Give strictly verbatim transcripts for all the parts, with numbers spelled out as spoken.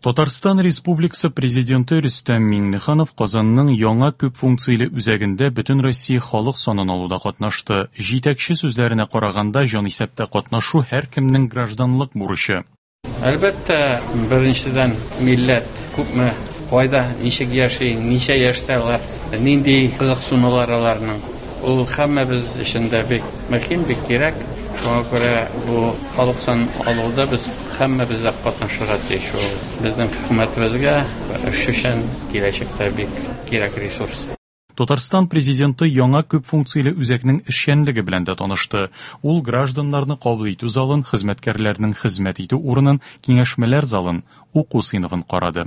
Татарстан Республикасы Президенты Рөстәм Миңнеханов Казанның яңа күп функцияле үзәгендә Бөтенроссия халык санын алуда катнашты. Җитәкче сүзләренә караганда, җанисәптә катнашу һәркемнең гражданлык бурычы. Әлбәттә, беренчедән, милләт күпме, кайда, ничек яши, ничә яшьтә алар, нинди кызыксынулар аларның. Ул һәммәбез өчен дә бик мөһим, бик кирәк. Шуңа күрә бу халык санын алуда без һәммәбез дә катнашырга тиеш. Ул безнең хөкүмәтебезгә эш өчен киләчәктә бик кирәк ресурс. Татарстан президенты яңа күп функцияле үзәкнең эшчәнлеге белән дә танышты. Ул гражданнарны кабул итү залын, хезмәткәрләрнең хезмәт итү урынын, киңәшмәләр залын, уку сыйныфын карады.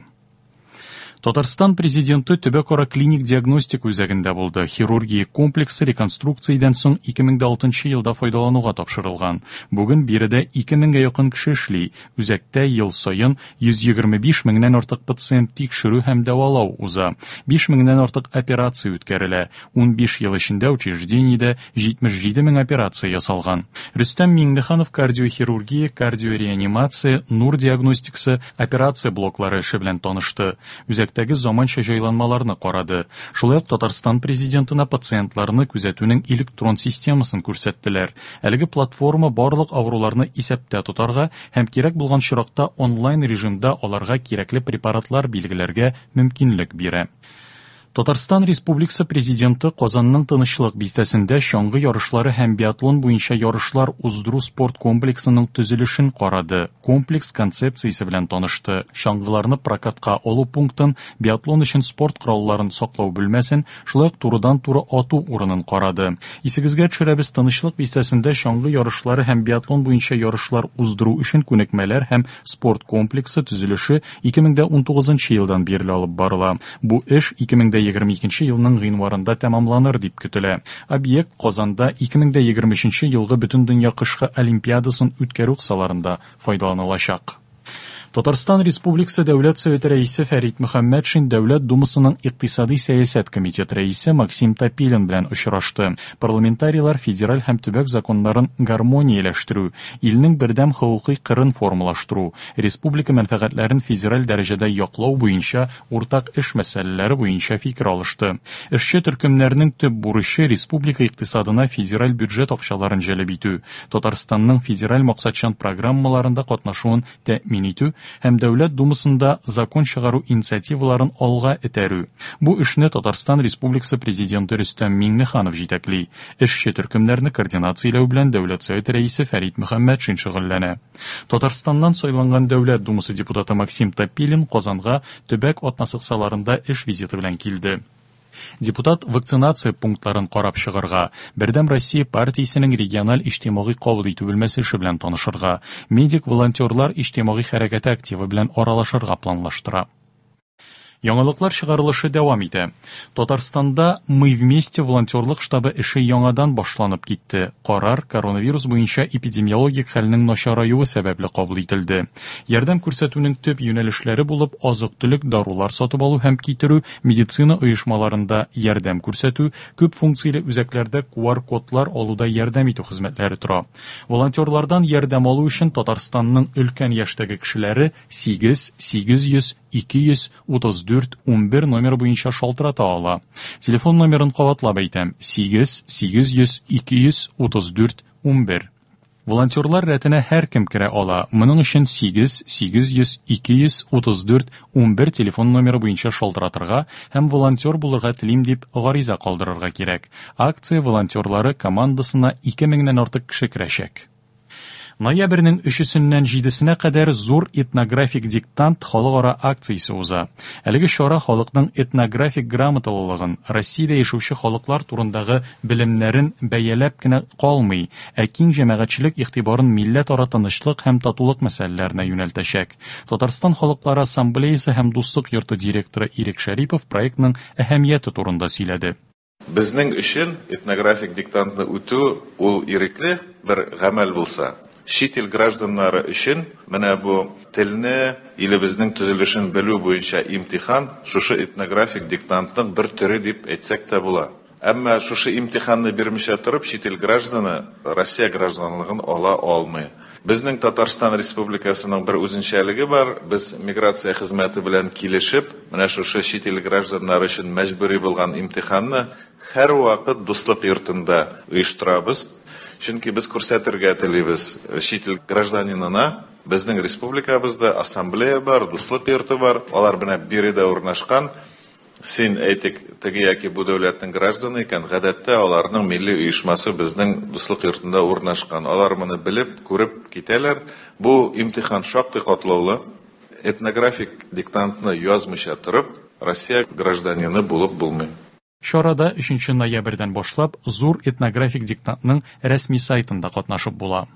Татарстан президенты төбәкара клиник диагностика үзәгендә булды. Хирургия комплексы реконструкциядән соң ике мең дә алтынчы елда файдалануга тапшырылган. Бүген биредә ике меңгә якын кеше эшли. Үзәктә ел саен йөз егерме биш меңнән артык пациент тикшерү һәм дәвалау уза. Биш меңнән артык операция үткәрелә. Ун биш ел эчендә учреждениедә җитмеш җиде мең операция ясалган. Рөстәм Миңнеханов кардиохирургия, кардиореанимация, нур диагностикасы, операция блоклары эше белән танышты. Үзәк Үзәктәге заманча җайланмаларны карады. Шулай ук Татарстан президентына пациентларны күзәтүнең электрон системасын күрсәттеләр. Әлеге платформа барлык авыруларны исәптә тотарга һәм кирәк булган очракта онлайн режимда аларга кирәкле препаратлар билгеләргә мөмкинлек бирә. Татарстан Республикасы президенты Казанның Тынычлык бистәсендә чаңгы ярышлары һәм биатлон буенча ярышлар уздыру спорт комплексының төзелешен карады. Комплекс концепциясе белән танышты. Чаңгыларны прокатка алу пунктын, биатлон өчен спорт коралларын саклау бүлмәсен, шулай ук турыдан-туры ату урынын карады. Исегезгә төшерәбез, Тынычлык бистәсендә чаңгы ярышлары һәм биатлон буенча ярышлар уздыру өчен күнекмәләр һәм спорт комплексы төзелеше ике мең дә унтугызынчы елдан бирле алып барыла. Бу эш ике мең дә егерме икенче елның гыйнварында тәмамланыр дип көтелә. Объект Казанда ике мең дә егерме өченче елгы Бөтендөнья кышкы олимпиадасын үткәрү кысаларында файдаланылачак. Татарстан Республикасы Дәүләт Советы рәисе Фәрит Мөхәммәтшин Дәүләт Думасының Икътисади сәясәт комитеты рәисе Максим Топилин белән очрашты. Парламентарийлар федераль һәм төбәк законнарын гармонияләштерү, илнең бердәм хокукый кырын формалаштыру, республика мәнфәгатьләрен федераль дәрәҗәдә яклау буенча уртак эш мәсьәләләре буенча фикер алышты. Эшче төркемнәрнең төп бурычы республика икътисадына федераль бюджет акчаларын җәлеп итү, Татарстанның федераль максатчан программаларында катнашуын тәэмин итү һәм Дәүләт Думасында закон чыгару инициативаларын алга этәрү. Бу эшне Татарстан Республикасы президенты Рөстәм Миңнеханов җитәкли. Эшче төркемнәрне координацияләү белән Дәүләт Советы рәисе Фәрит Мөхәммәтшин шөгыльләнә. Татарстаннан сайланган Дәүләт Думасы депутаты Максим Топилин Казанга төбәк атнасы кысаларында эш визиты белән килде. Депутат вакцинация пунктларын карап чыгарга, Бердәм Россия партиясенең региональ иҗтимагый кабул итү бүлмәсе эше белән танышырга, медик волонтерлар иҗтимагый хәрәкәте активы белән аралашырга планлаштыра. Яңалыклар чыгарылышы дәвам итә. Татарстанда Мы вместе волонтерлык штабы эше яңадан башланып китте. Карар коронавирус буенча эпидемиологик хәлнең начараюы сәбәпле кабул ителде. Ярдәм күрсәтүнең төп юнәлешләре булып азык-төлек, дарулар сатып алу һәм китерү, медицина оешмаларында ярдәм күрсәтү, күп функцияле үзәкләрдә ку ар кодлар алуда ярдәм итү хезмәтләре тора. Волонтерлардан ярдәм алу өчен Татарстанның өлкән яшьтәге кешеләре сигез, сигез йөз, ике йөз, утыз дүрт, унбер номер буенча шалтырата ала. Телефон номерын кабатлап әйтәм: сигез, сигез йөз, ике йөз, утыз дүрт, унбер. Волонтерлар рәтенә һәркем керә ала. Моның өчен сигез, сигез йөз, ике йөз, утыз дүрт, унбер телефон номеры буенча шалтыратырга һәм волонтер булырга телим дип гариза калдырырга кирәк. Акция волонтерлары командасына ике меңнән артык кеше керәчәк. Ноябрьнең өчесеннән җидесенә кадәр зур этнографик диктант халыкара акциясе уза. Әлеге чара халыкның этнографик грамоталылыгын, Россиядә яшәүче халыклар турындагы белемнәрен бәяләп кенә калмый, ә киң җәмәгатьчелек игътибарын милләтара тынычлык һәм татулык мәсьәләләренә юнәлтәчәк. Татарстан Халыклары Ассамблеясы һәм Дуслык йорты директоры Ирек Шәрипов проектның әһәмияте турында сөйләде. Безнең өчен этнографик диктантны үтү ул ирекле бер гамәл булса, чит ил гражданнары өчен менә бу телне, илебезнең төзелешен белү буенча имтихан шушы этнографик диктантның бер төре дип әйтсәк тә була. Әмма шушы имтиханны бирмичә торып чит ил гражданы Россия гражданлыгын ала алмый. Безнең Татарстан Республикасының бер үзенчәлеге бар. Без миграция хезмәте белән килешеп, менә шушы чит ил гражданнары өчен мәҗбүри булган имтиханны һәрвакыт Дуслык йортында оештырабыз. Чөнки без күрсәтергә телибез чит ил гражданинына, безнең республикабызда ассамблея бар, Дуслык йорты бар, алар менә биредә урнашкан. Син, әйтик, теге яки бу дәүләтнең гражданы икән, гадәттә аларның милли оешмасы безнең Дуслык йортында урнашкан. Алар моны белеп, күреп китәләр. Бу имтихан шактый катлаулы. Этнографик диктантны язмыйча торып, Россия гражданины булып булмый. Чарада өченче ноябрьдән башлап зур этнографик диктантның рәсми сайтында катнашып була.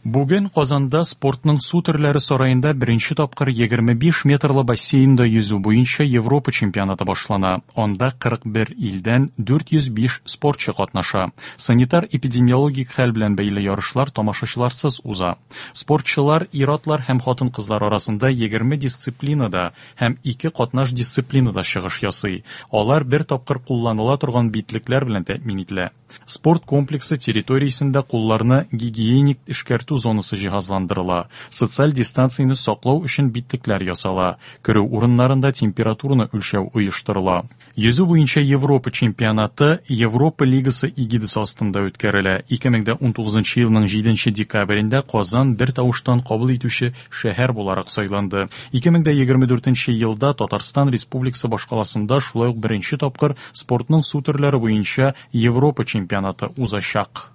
Бүген Казанда спортның су төрләре сараенда беренче тапкыр егерме биш метрлы бассейнда йөзү буенча Европа чемпионаты башлана. Анда кырык бер илдән дүрт йөз биш спортчы катнаша. Санитар-эпидемиологик хәл белән бәйле ярышлар тамашачыларсыз уза. Спортчылар ир-атлар һәм хатын-кызлар арасында егерме дисциплинада һәм ике катнаш дисциплинада чыгыш ясый. Алар бер тапкыр кулланыла торган битлекләр белән тәэмин ителә. Спорт комплексы территориясендә кулларны гигиеник эшкәртү зонасы җиһазландырыла. Социаль дистанцияне саклау өчен битлекләр ясала. Керү урыннарында температураны үлчәү оештырыла. Йөзү буенча Европа чемпионаты Европа лигасы эгидасы астында үткәрелә. Ике мең дә унтугызынчы елның җиденче декабрендә Казан бер тавыштан кабул итүче шәһәр буларак сайланды. Ике мең дә егерме дүртенче елда Татарстан Республикасы башкаласында шулай ук беренче тапкыр спортның су төрләре буенча Европа чемпионаты узачак.